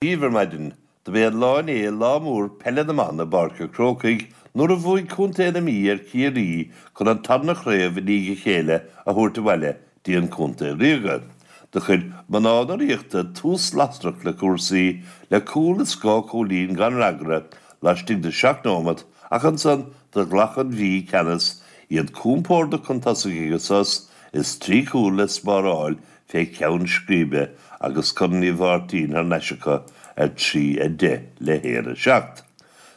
Daoibh ar maidin. Do b'é an lá inné lá mór peile na mban i bPáirc a' Chrócaigh nuair a bhuaigh Contae na Mí ar Chiarraí chun an tarna chraobh i ndiaidh a chéile a thabhairt abhaile dtí an Contae Ríoga. Do chuir mná na Ríochta tús lasrach le cúrsaí le cúl is 2 chúilín gan fhreagra laistigh de 7 nóimeat ach ansan do ghlac an Mhí ceannas, iad compordach chun tosaigh ag an sos is 3 chúl le spáráil fé cheann scríbe agus Corn Uí Mháirtín thar n-ais acu ar 3, 10 le 1, 7.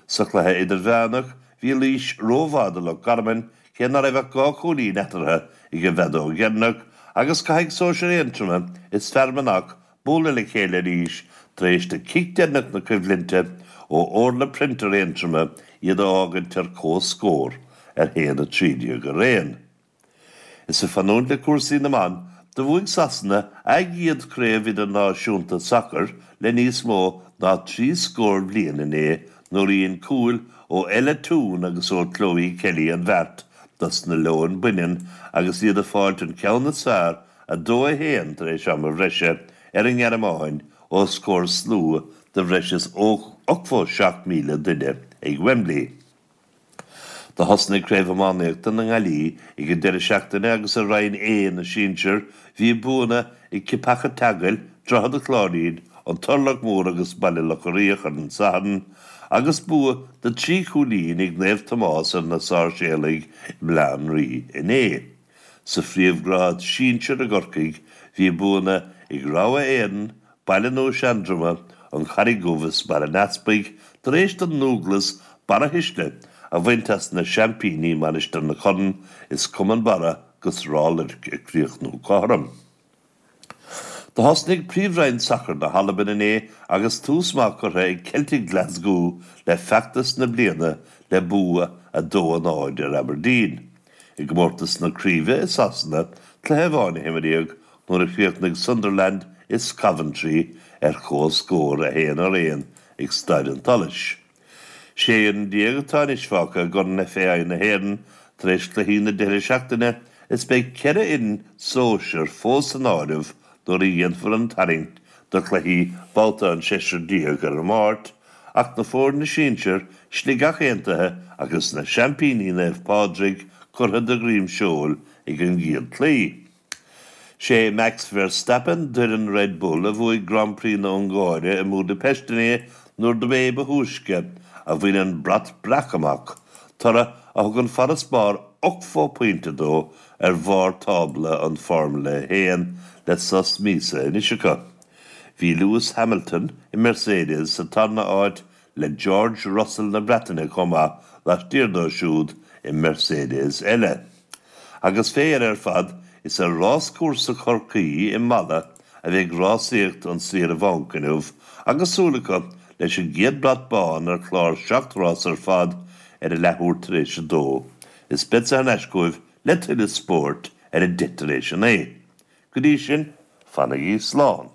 Sa chluiche idirmheánach, bhí Laois rómhaith do Loch Garman cé ná raibh ach 2 chúilín eatarthu ag an bhfeadóg dheireanach agus caithfidh sóisir Aontroma is Fear Manach bualadh le chéile arís tar éis do chic deireanach na coimhlinte ó Orla Printer Aontroma iad a fhágaint ar comhscór ar 1, 13 araon. Is ag fanúint le cúrsaí na mban, do bhuaigh Sasana a gcéad chraobh idirnáisiúnta sacair le níos mó ná 30 scór bliain inné nuair a dhein cúil ó Ella Toone agus ó Chloe Kelly an bheart dos na Leoin Baineann agus iad ag fáilt an ceann is fearr 2, 1 tar éis ama bhreise ar an nGearmáin os comhair slua de bhreis is 87,000 duine ag Wembley. Do thosnaigh Craobh Iománaíochta na nGaillí ag an deireadh seachtaine agus i Roinn A na Sinsear bhí buanna ag Ceapach an tSeagail, Droichead an Chláirín, An Turlach Mór agus Baile Locha Riach ar an Satharn agus bua de thrí chúilín ag Naomh Tomás ar na Sáirséalaigh i mBaile Átha an Rí inné. Sa phríomhghrád sinsir i gCorcaigh, bhí buanna ag Rogha Éireann, Baile Nua Seandroma, An Charraig Dhubh is Barr an Easpaig tar éis don nDúglas Barra Thuisle a bhaint as na seaimpíní Mainistir na Corann is Cumann Barra 'gus Ráth Luirc ag críochnú cothrom. Do thosnaigh Príomhroinn Sacair na hAlban inné agus tús maith curtha ag Celtic Glasgow le feachtas na bliana le bua 2, 0 ar Aberdeen. I gcomórtas na craoibhe i Sasana, cluiche amháin a himríodh nuair a chríochnaigh Sunderland is Coventry ar comhscór 1 ar 1 ag Staid an tSolais. 16 fhoireann atá anois fágtha i gCorn FAI na hÉireann tar éis cluichí na deireadh seachtaine is beidh 4 fhoireann sóisir fós san áireamh nuair a dhéanfar an tarraingt do chluichí babhta an seisear déag ar an Máirt ach na foirne sinsir, Sligeach Aontaithe agus na seaimpíní Naomh Pádraig curtha de dhroim seoil ag an gcéad chluiche. Sé Max Verstappen d'fhoireann Red Bull a bhuaigh Grand Prix na Ungáire i mBúdaipeist inné nuair dob é ba thúisce a bhain an brat breac amach, toradh a thugann farasbarr 80 pointe dó ar bharr tábla an Formula 1 le sos míosa anois acu. Bhí Lewis Hamilton i Mercedes sa tarna áit le George Russell na Breataine chomh maith laistiar dó siúd i Mercedes eile. Agus fé dheireadh ar fad, is ar ráschúrsa Chorcaí i Mala a bheidh rásaíocht an saoire bhanc inniu agus súil acu leis an gcéad brat bán ar chlár 7 rás ar fad ar a leathuair tar éis a dó. Is beadsa thar n-ais chugaibh le tuilleadh spóirt ar a 9:10. Go dtí sin, fanaigí slán.